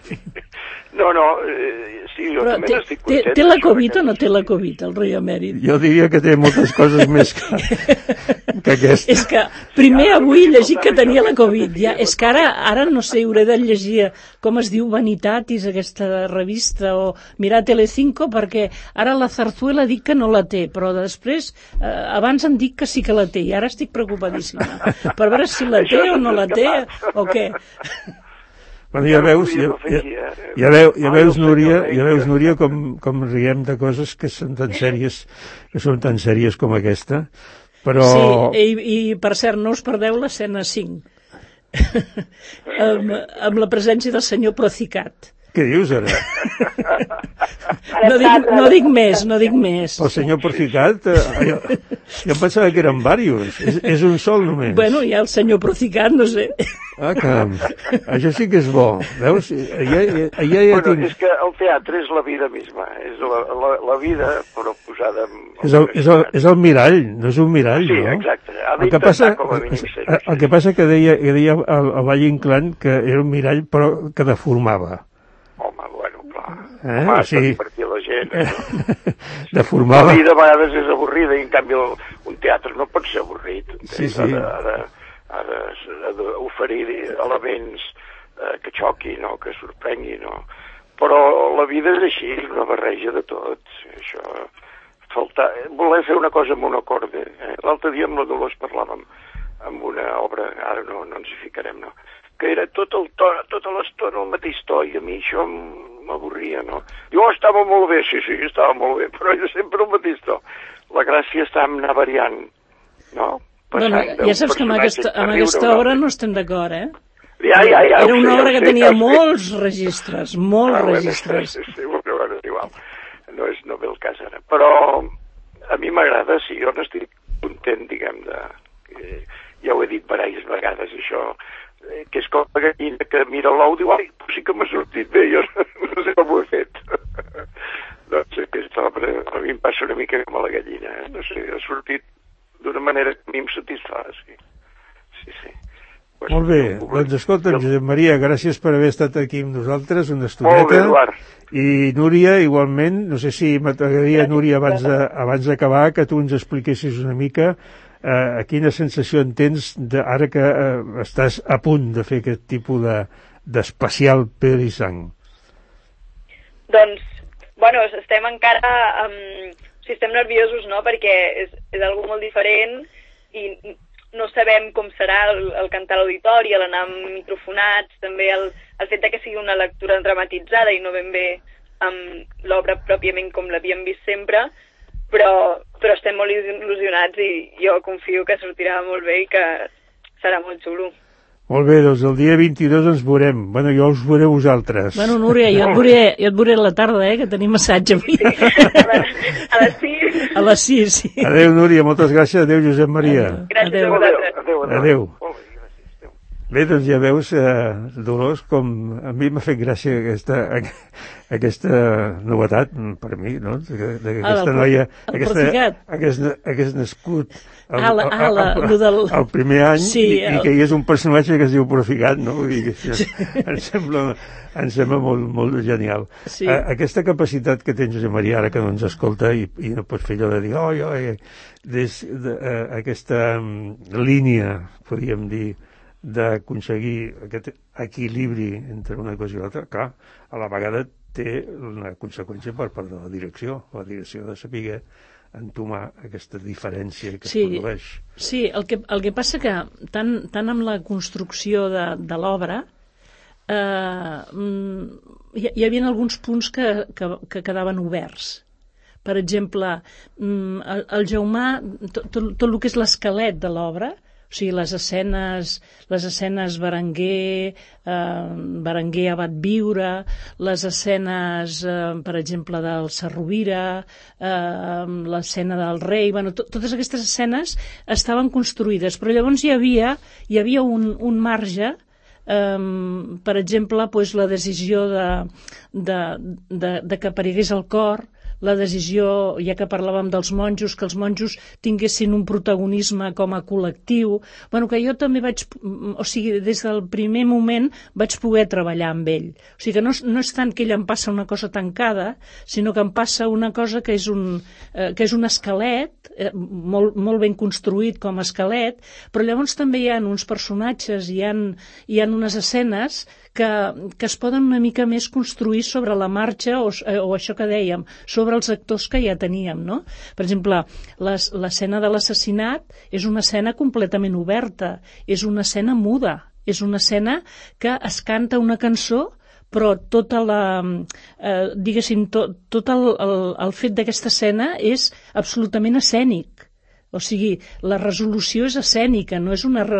No, no, eh, sí, jo però també té, n'estic content. Té, té la Covid o no té la Covid, el Rei Emèrit? Jo diria que té moltes coses més que, que aquesta. És que primer avui he llegit que tenia la Covid, ja, és que ara, ara no sé, hauré de llegir, com es diu, Vanitatis, aquesta revista, o mirar Telecinco, perquè ara la Zarzuela dic que no la té, però després, eh, abans em dic que sí que la té, i ara estic preocupadíssima, per veure si la té o no la té, o què. Bueno, ja veus, ja, ja, ja, veu, ja veus, Núria, ja veus, Núria, com, com riem de coses que són tan sèries, que són tan sèries com aquesta, però... Sí, i, i per cert, no us perdeu l'escena cinc, amb, amb la presència del senyor Procicat. Què dius, ara? No dic, no dic més, no dic més. El senyor Procicat, eh, jo, jo pensava que eren diversos, és, és un sol només. Bueno, hi ha el senyor Procicat, no sé. Ah, caram, això sí que és bo, veus? Ja, ja, ja, ja bueno, tinc... és que el teatre és la vida misma, és la, la, la vida, però posada... En... És el, és, el, és el mirall, no és un mirall, sí, no? Sí, exacte, ha el que passa, el que passa que deia, que deia el, el Valle Inclán que era un mirall però que deformava. Home, bueno, clar. Eh? Home, o sigui... divertir la gent. No? Deformava. La vida a vegades és avorrida i en canvi el, un teatre no pot ser avorrit. Sí, sí. Ha de, ha de, ha d'oferir elements eh, que xoquin o que sorprenguin. No? Però la vida és així, és una barreja de tot. Això... Faltar... Voler fer una cosa monocorde. Eh? L'altre dia amb la Dolors parlàvem amb una obra, ara no, no ens hi ficarem, no? Que era tot el to, tota l'estona el mateix to, i a mi això m'avorria, no? Diu, oh, estava molt bé, sí, sí, estava molt bé, però era sempre el mateix to. La gràcia està en anar variant, no? Passant bueno, ja saps que amb aquesta, amb aquesta obra no estem d'acord, eh? Ja, ja, ja. Era una sé, obra que sé, tenia sé. molts registres, molts ah, registres. Sí, sí, bueno, és igual. No, és, no ve el cas ara. Però a mi m'agrada, sí, jo n'estic content, diguem, de... Eh, ja ho he dit diverses vegades, això, eh, que és com la gallina que mira l'ou i diu, ai, sí que m'ha sortit bé, jo no sé com ho he fet. Doncs aquesta obra a mi em passa una mica com a la gallina, eh? No sé, ha sortit d'una manera que a mi em satisfà, sí. Sí, sí. Pues, molt bé, doncs escolta, Josep Maria, gràcies per haver estat aquí amb nosaltres una estoneta. Molt bé, Eduard. I Núria, igualment, no sé si m'agradaria, Núria, abans de, abans d'acabar, que tu ens expliquessis una mica eh, quina sensació en tens de, ara que eh, estàs a punt de fer aquest tipus de, d'especial Pedro i Sang. Doncs, bueno, estem encara, um, o sigui, estem nerviosos, no?, perquè és, és algo molt diferent i no sabem com serà el, el cantar a l'auditori, l'anar microfonats, també el, el fet de que sigui una lectura dramatitzada i no ben bé amb l'obra pròpiament com l'havíem vist sempre, però, però estem molt il·lusionats i jo confio que sortirà molt bé i que serà molt xulo. Molt bé, doncs el dia vint-i-dos ens veurem. Bueno, jo us veuré vosaltres. Bueno, Núria, jo et veuré, jo et veuré a la tarda, eh, que tenim assaig avui. Sí, a les sis. A les sis, sí. Adéu, Núria, moltes gràcies. Adéu, Josep Maria. Gràcies a vosaltres. Adéu, adéu. Adéu. Bé, doncs ja veus, eh, Dolors, com a mi m'ha fet gràcia aquesta, aquesta novetat, per mi, no? De, de Ah, aquesta el, noia... el aquesta, Porticat. hagués, hagués nascut el, Ah, la, ah, la, el, el, del... el primer any sí, i, el... i que hi és un personatge que es diu Porticat, no? Vull dir que això sí. em sembla, em sembla molt, molt genial. Sí. A, aquesta capacitat que tens, Josep Maria, ara que no ens escolta i, i no pots fer allò de dir oi, oi, des, de, uh, aquesta um, línia, podríem dir, d'aconseguir aquest equilibri entre una cosa i l'altra, clar, a la vegada té una conseqüència per part de la direcció. La direcció de saber entomar aquesta diferència que sí, es produeix. Sí, el que, el que passa que tant, tant amb la construcció de, de l'obra eh, hi, hi havia alguns punts que, que, que quedaven oberts. Per exemple, el, el Jaumà, tot, tot, tot el que és l'esquelet de l'obra, o sigui, les escenes, les escenes Berenguer, eh, Berenguer abat viure, les escenes, eh, per exemple, del Sarrovira, eh, l'escena del rei, bueno, to, totes aquestes escenes estaven construïdes, però llavors hi havia, hi havia un, un marge, eh, per exemple, pues, la decisió de, de, de, de que aparegués el cor, la decisió, ja que parlàvem dels monjos, que els monjos tinguessin un protagonisme com a col·lectiu, bueno, que jo també vaig, o sigui, des del primer moment vaig poder treballar amb ell. O sigui, que no, no és tant que ell em passa una cosa tancada, sinó que em passa una cosa que és un, eh, que és un esquelet, eh, molt, molt ben construït com a esquelet, però llavors també hi ha uns personatges, hi ha, hi ha unes escenes que, que es poden una mica més construir sobre la marxa o, o això que dèiem, sobre els actors que ja teníem, no? Per exemple, l'escena de l'assassinat és una escena completament oberta, és una escena muda, és una escena que es canta una cançó però tota la, eh, diguéssim, tot, tot el, el, el fet d'aquesta escena és absolutament escènic. O sigui, la resolució és escènica, no és una re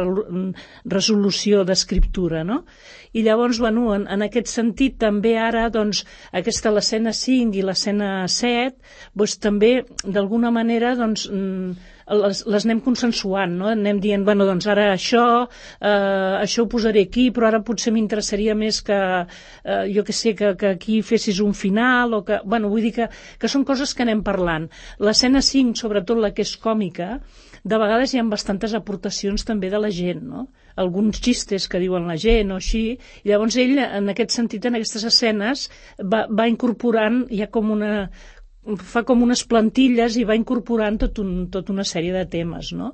resolució d'escriptura, no? I llavors, bueno, en, en aquest sentit, també ara, doncs, aquesta l'escena cinc i l'escena set, doncs, també, d'alguna manera, doncs, les, les anem consensuant, no? Anem dient, bueno, doncs ara això, eh, això ho posaré aquí, però ara potser m'interessaria més que, eh, jo que sé, que, que aquí fessis un final, o que, bueno, vull dir que, que són coses que anem parlant. L'escena cinc, sobretot la que és còmica, de vegades hi ha bastantes aportacions també de la gent, no? Alguns xistes que diuen la gent o així, i llavors ell, en aquest sentit, en aquestes escenes, va, va incorporant ja com una... fa com unes plantilles i va incorporant tot un, tot una sèrie de temes, no?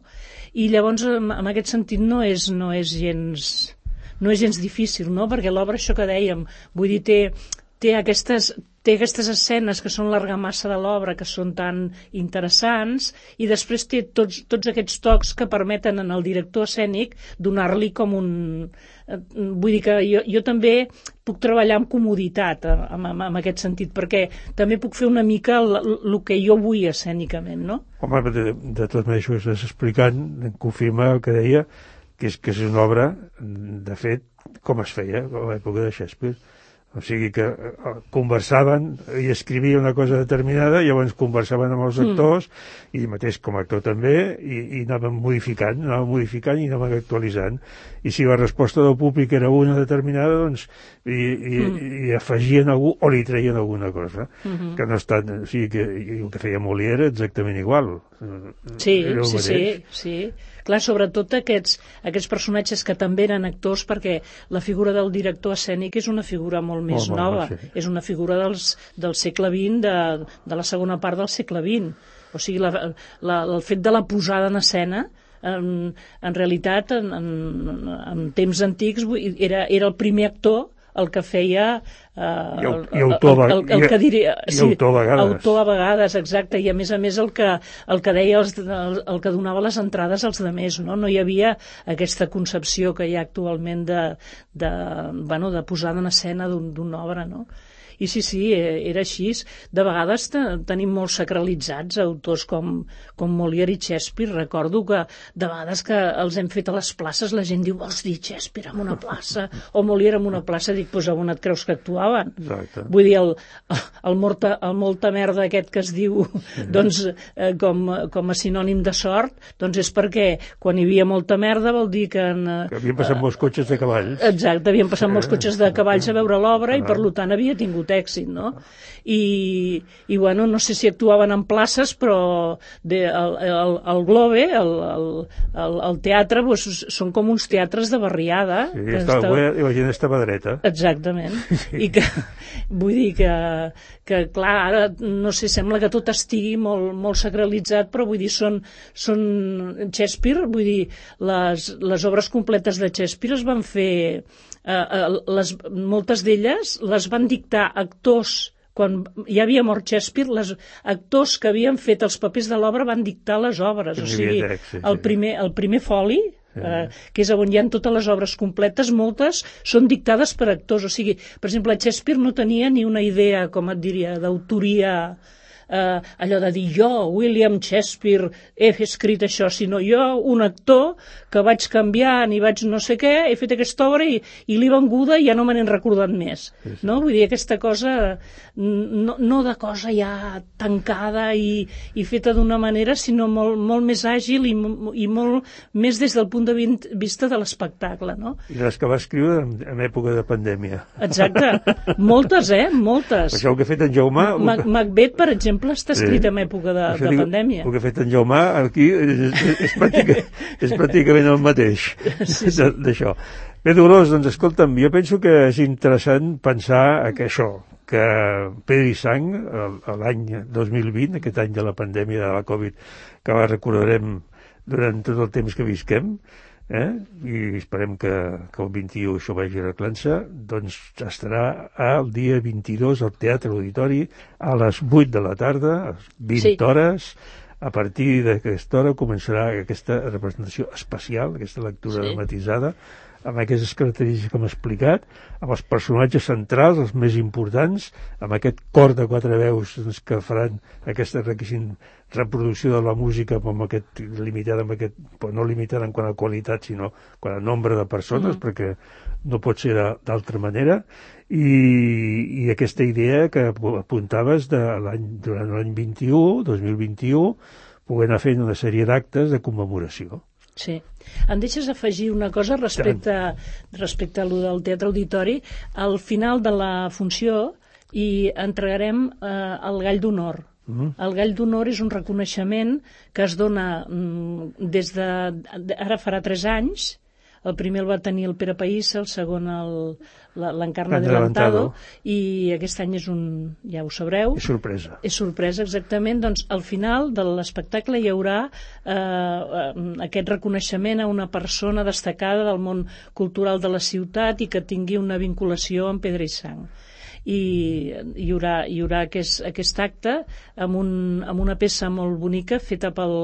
I llavors, en, en aquest sentit, no és, no és gens no és gens difícil, no? Perquè l'obra, això que dèiem, vull dir, té, té aquestes té aquestes escenes que són l'argamassa de l'obra, que són tan interessants, i després té tots, tots aquests tocs que permeten en el director escènic donar-li com un... Vull dir que jo, jo també puc treballar amb comoditat en, en, en aquest sentit, perquè també puc fer una mica el, el que jo vull escènicament, no? Home, de, de tot això que estàs explicant, confirma el que deia, que és, que és una obra, de fet, com es feia a l'època de Shakespeare. O sigui que conversaven i escrivia una cosa determinada, llavors conversaven amb els actors, mm. i mateix com a actor també, i, i anaven modificant, anaven modificant i anaven actualitzant. I si la resposta del públic era una determinada, doncs i, i, mm. i afegien algú o li treien alguna cosa. Mm-hmm. Que no està, o sigui que el que feia Molière exactament igual. Sí, sí, sí, sí. Clar, sobretot aquests, aquests personatges que també eren actors, perquè la figura del director escènic és una figura molt més oh, nova, sí. És una figura dels, del segle vint, de, de la segona part del segle vint. O sigui, la, la, el fet de la posada en escena, en, en realitat, en, en, en temps antics, era, era el primer actor el que feia eh, I, el, i autor, el, el, el, el que diria, i sí, autor a vegades autor a vegades, exacte, i a més a més el que, el que deia els, el, el que donava les entrades als demés, no? No hi havia aquesta concepció que hi ha actualment de, de, bueno, de posada en escena d'una obra, no? I sí, sí, era així. De vegades tenim molt sacralitzats autors com, com Molière i Shakespeare. Recordo que de vegades que els hem fet a les places la gent diu, vols dir Shakespeare en una plaça o Molière en una plaça? Dic, doncs on et creus que actuaven? Exacte. Vull dir, el, el, morta, el molta merda aquest que es diu doncs, eh, com, com a sinònim de sort, doncs és perquè quan hi havia molta merda vol dir que... En, que havien passat eh, molts cotxes de cavalls. Exacte, havien passat molts cotxes de cavalls a veure l'obra i per tant havia tingut tot èxit, no? I, i bueno, no sé si actuaven en places, però de, el, el, el Globe, el, el, el, el teatre, pues, són com uns teatres de barriada. Sí, estava, estava... i la gent estava dreta. Exactament. Sí. I que, vull dir que, que, clar, ara, no sé, sembla que tot estigui molt, molt sacralitzat, però vull dir, són, són Shakespeare, vull dir, les, les obres completes de Shakespeare es van fer, eh, les, moltes d'elles les van dictar actors. Quan ja havia mort Shakespeare, els actors que havien fet els papers de l'obra van dictar les obres. O sigui, el primer, el primer foli, eh, que és on hi ha totes les obres completes, moltes són dictades per actors. O sigui, per exemple, Shakespeare no tenia ni una idea, com et diria, d'autoria, eh, allò de dir jo, William Shakespeare, he escrit això, sinó jo, un actor que vaig canviant i vaig no sé què, he fet aquesta obra i, i l'he venguda i ja no me n'he recordat més. Sí, sí. No? Vull dir, aquesta cosa, no, no de cosa ja tancada i, i feta d'una manera, sinó molt, molt més àgil i, i molt més des del punt de vista de l'espectacle, no? I les que va escriure en, en època de pandèmia. Exacte. Moltes, eh? Moltes. Això el que ha fet en Jaume... Ma Macbeth, per exemple, està escrit sí. en època de, de dic, pandèmia. El que ha fet en Jaume aquí és, és, és, pràctica, és pràcticament el mateix sí, sí. d'això. Bé, Dolors, doncs escolta'm, jo penso que és interessant pensar que això, que Pedra i Sang, l'any dos mil vint, aquest any de la pandèmia de la Covid, que la recordarem durant tot el temps que visquem, eh? I esperem que, que el vint-i-u això vagi arreglant-se, doncs estarà el dia vint-i-dos al Teatre Auditori a les vuit de la tarda, a les vint sí. hores. A partir d'aquesta hora començarà aquesta representació especial, aquesta lectura sí. dramatitzada, amb aquestes característiques que hem explicat, amb els personatges centrals, els més importants, amb aquest cor de quatre veus doncs, que faran aquesta reproducció de la música amb aquest, limitada, amb aquest, no limitada en quant a qualitat, sinó quant a nombre de persones, mm. perquè no pot ser d'altra manera, i, i aquesta idea que apuntaves de l'any, durant l'any vint-i-u, dos mil vint-i-u, poder anar fent una sèrie d'actes de commemoració. Sí. Em deixes afegir una cosa respecte, respecte a lo del Teatre Auditori. Al final de la funció hi entregarem eh, el Gall d'Honor. Mm. El Gall d'Honor és un reconeixement que es dona mm, des de... Ara farà tres anys. El primer el va tenir el Pere Païssa, el segon l'Encarna Adelantado, i aquest any és un, ja ho sabreu... És sorpresa. És sorpresa, exactament. Doncs al final de l'espectacle hi haurà eh, aquest reconeixement a una persona destacada del món cultural de la ciutat i que tingui una vinculació amb Pedra i Sang. I hi haurà, hi haurà aquest, aquest acte amb, un, amb una peça molt bonica feta pel,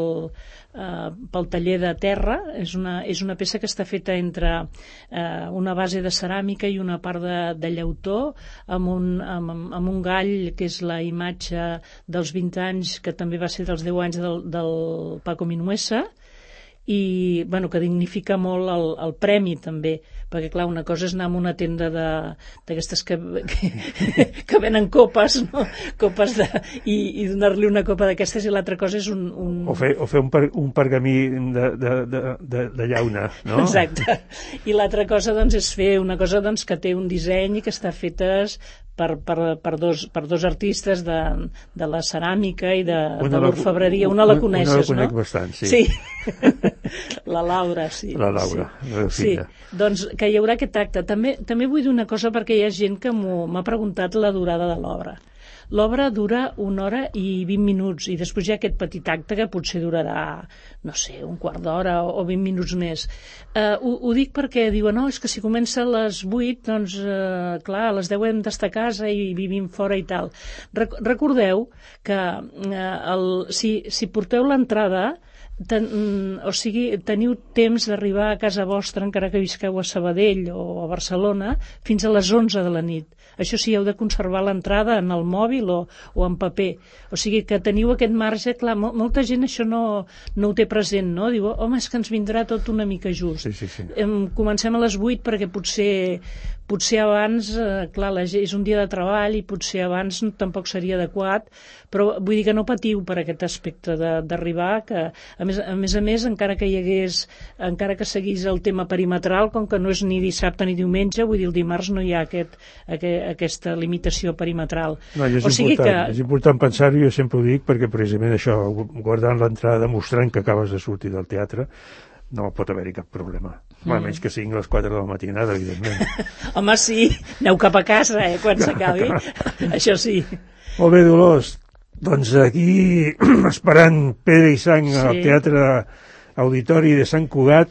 eh, pel taller de terra. És una, és una peça que està feta entre eh, una base de ceràmica i una part de, de llautó, amb un, amb, amb un gall que és la imatge dels vint anys, que també va ser dels deu anys del, del Paco Minuesa, i bueno, que dignifica molt el, el premi també, perquè clar, una cosa és anar a una tenda d'aquestes que, que, que venen copes, no? Copes de, i, i donar-li una copa d'aquestes, i l'altra cosa és un... un... O fer, o fer un, per, un pergamí de, de, de, de, de llauna, no? Exacte. I l'altra cosa doncs és fer una cosa doncs, que té un disseny i que està fetes per, per, per, dos, per dos artistes de, de la ceràmica i de, de l'orfebreria. Una la coneixes, no? Una la conec bastant, sí. Sí. La Laura, sí. La Laura, sí. La sí. Doncs que hi haurà aquest acte. També, també vull dir una cosa, perquè hi ha gent que m'ha preguntat la durada de l'obra. L'obra dura una hora i vint minuts, i després hi ha aquest petit acte que potser durarà, no sé, un quart d'hora o vint minuts més. Uh, ho, ho dic perquè diuen, no, és que si comença a les vuit, doncs, uh, clar, a les deu hem d'estar a casa i vivim fora i tal. Rec recordeu que uh, el, si, si porteu l'entrada, Ten, o sigui, teniu temps d'arribar a casa vostra, encara que visqueu a Sabadell o a Barcelona, fins a les onze de la nit. Això sí, heu de conservar l'entrada en el mòbil o, o en paper. O sigui, que teniu aquest marge. Clar, mo molta gent això no, no ho té present, no? Diu, home, és que ens vindrà tot una mica just. Sí, sí, sí. Em, comencem a les vuit perquè potser, potser abans, eh, clar, la, és un dia de treball i potser abans tampoc seria adequat, però vull dir que no patiu per aquest aspecte d'arribar, que a més, a més a més, encara que hi hagués, encara que seguís el tema perimetral, com que no és ni dissabte ni diumenge, vull dir, el dimarts no hi ha aquest, aquest, aquesta limitació perimetral. No, és, o sigui important, que... és important pensar-ho, jo sempre ho dic, perquè precisament això, guardant l'entrada, demostrant que acabes de sortir del teatre, no pot haver-hi cap problema. Mm. A menys que siguin les quatre de la matinada, evidentment. Home, sí, aneu cap a casa, eh, quan s'acabi. Això sí. Molt bé, Dolors. Doncs aquí, esperant Pedra i Sang sí. al Teatre Auditori de Sant Cugat,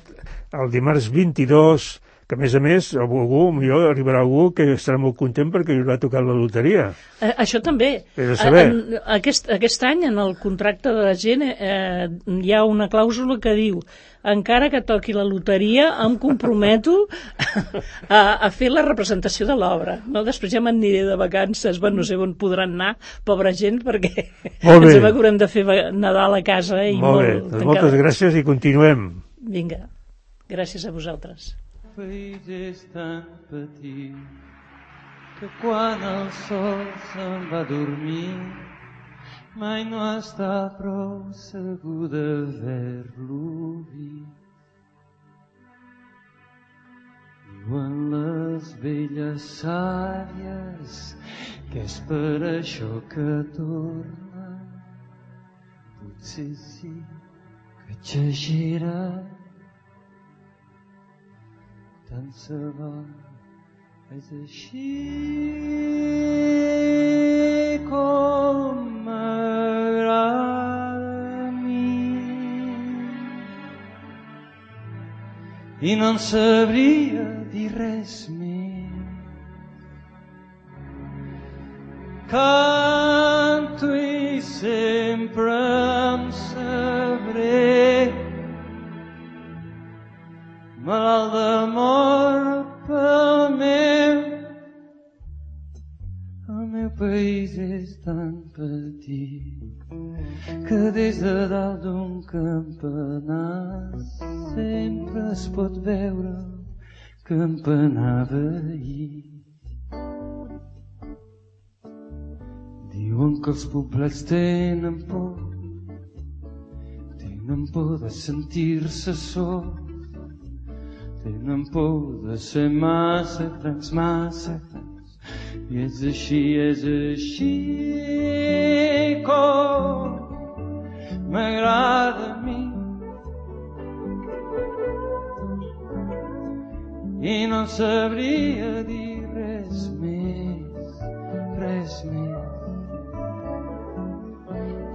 el dimarts vint-i-dos, que a més a més, algú, millor arribarà algú que estarà molt content perquè li haurà tocat la loteria. Eh, això també. En, aquest, aquest any, en el contracte de la gent, eh, hi ha una clàusula que diu: encara que toqui la loteria, em comprometo a, a fer la representació de l'obra. No? Després ja m'aniré de vacances, bueno, no sé on podran anar, pobra gent, perquè ens sembla que haurem de fer Nadal a casa. Eh, i molt, molt bé, doncs moltes gràcies i continuem. Vinga, gràcies a vosaltres. El país és tan petit que quan el sol se'n va dormir mai no està prou segur d'haver-lo vist. Diuen les velles sàvies que és per això que torna. Potser sí que exagera, tant se val, és així com m'agrada a mi. I no en sabria dir res més. Canto i sempre em sabré malalt d'amor pel meu. El meu país és tan petit que des de dalt d'un campanar sempre es pot veure el campanar veí. Diuen que els poblets tenen por, tenen por de sentir-se sols, tenen por de ser massa grans, massa grans. I és així, és així com m'agrada a mi. I no sabria dir res més, res més.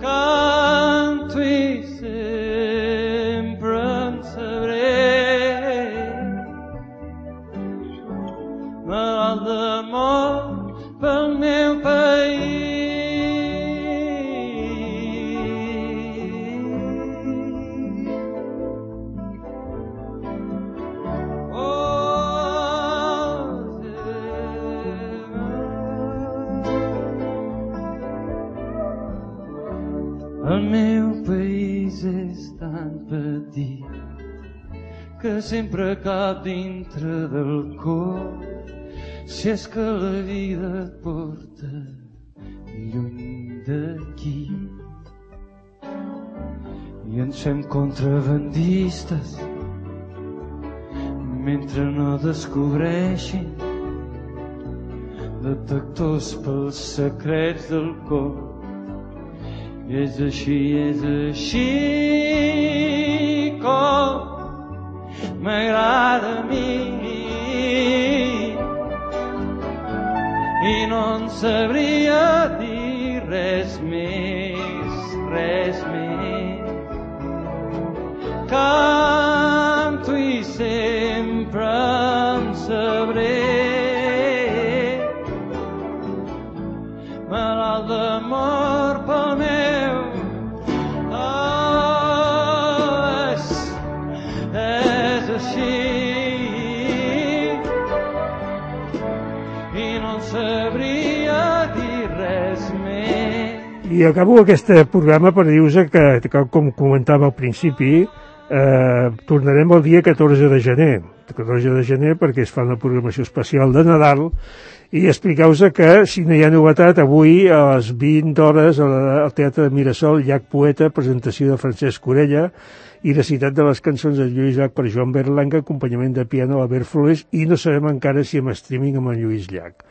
Canto i sempre em sabré malalt d'amor pel meu país. Oh, el meu país és tan petit que sempre cap dintre del cor, si és que la vida et porta lluny d'aquí. I ens fem contrabandistes mentre no descobreixin detectors pels secrets del cor. I és així, és així com m'agrada a mi. I no en sabria dir res més, res més. Canto i sempre em sabré malalt d'amor pel meu. Oh, és, és així. I no en sabria dir res més. I acabo aquest programa per dir-vos que, que, com comentava al principi, eh, tornarem el dia catorze de gener. catorze de gener, perquè es fa una programació especial de Nadal, i explicar-vos que, si no hi ha novetat, avui a les vint hores al Teatre de Mirasol, Llac Poeta, presentació de Francesc Orella i recitat de les cançons de Lluís Llach per Joan Berlanga, acompanyament de piano a Albert Flores, i no sabem encara si amb streaming amb en Lluís Llach.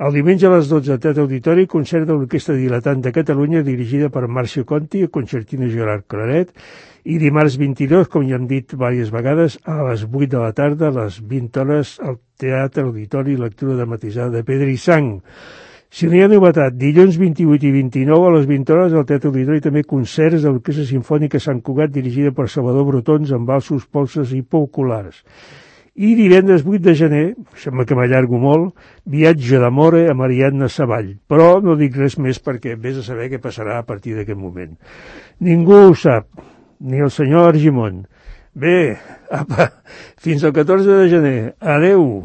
El diumenge a les dotze al Teatre Auditori, concert de l'Orquestra Dilatant de Catalunya, dirigida per Marcio Conti, concertina Gerard Claret, i dimarts vint-i-dos, com ja hem dit diverses vegades, a les vuit de la tarda, a les vint hores, al Teatre Auditori, lectura dramatitzada de Pedra i Sang. Si no hi ha novetat, dilluns vint-i-vuit i vint-i-nou a les vint hores al Teatre Auditori també concerts de l'Orquestra Simfònica Sant Cugat, dirigida per Salvador Brotons, amb valsos, polses i populars. I divendres vuit de gener, sembla que m'allargo molt, viatge d'amore a Marianna Savall. Però no dic res més perquè vés a saber què passarà a partir d'aquest moment. Ningú ho sap, ni el senyor Argimon. Bé, apa, fins al catorze de gener. Adeu!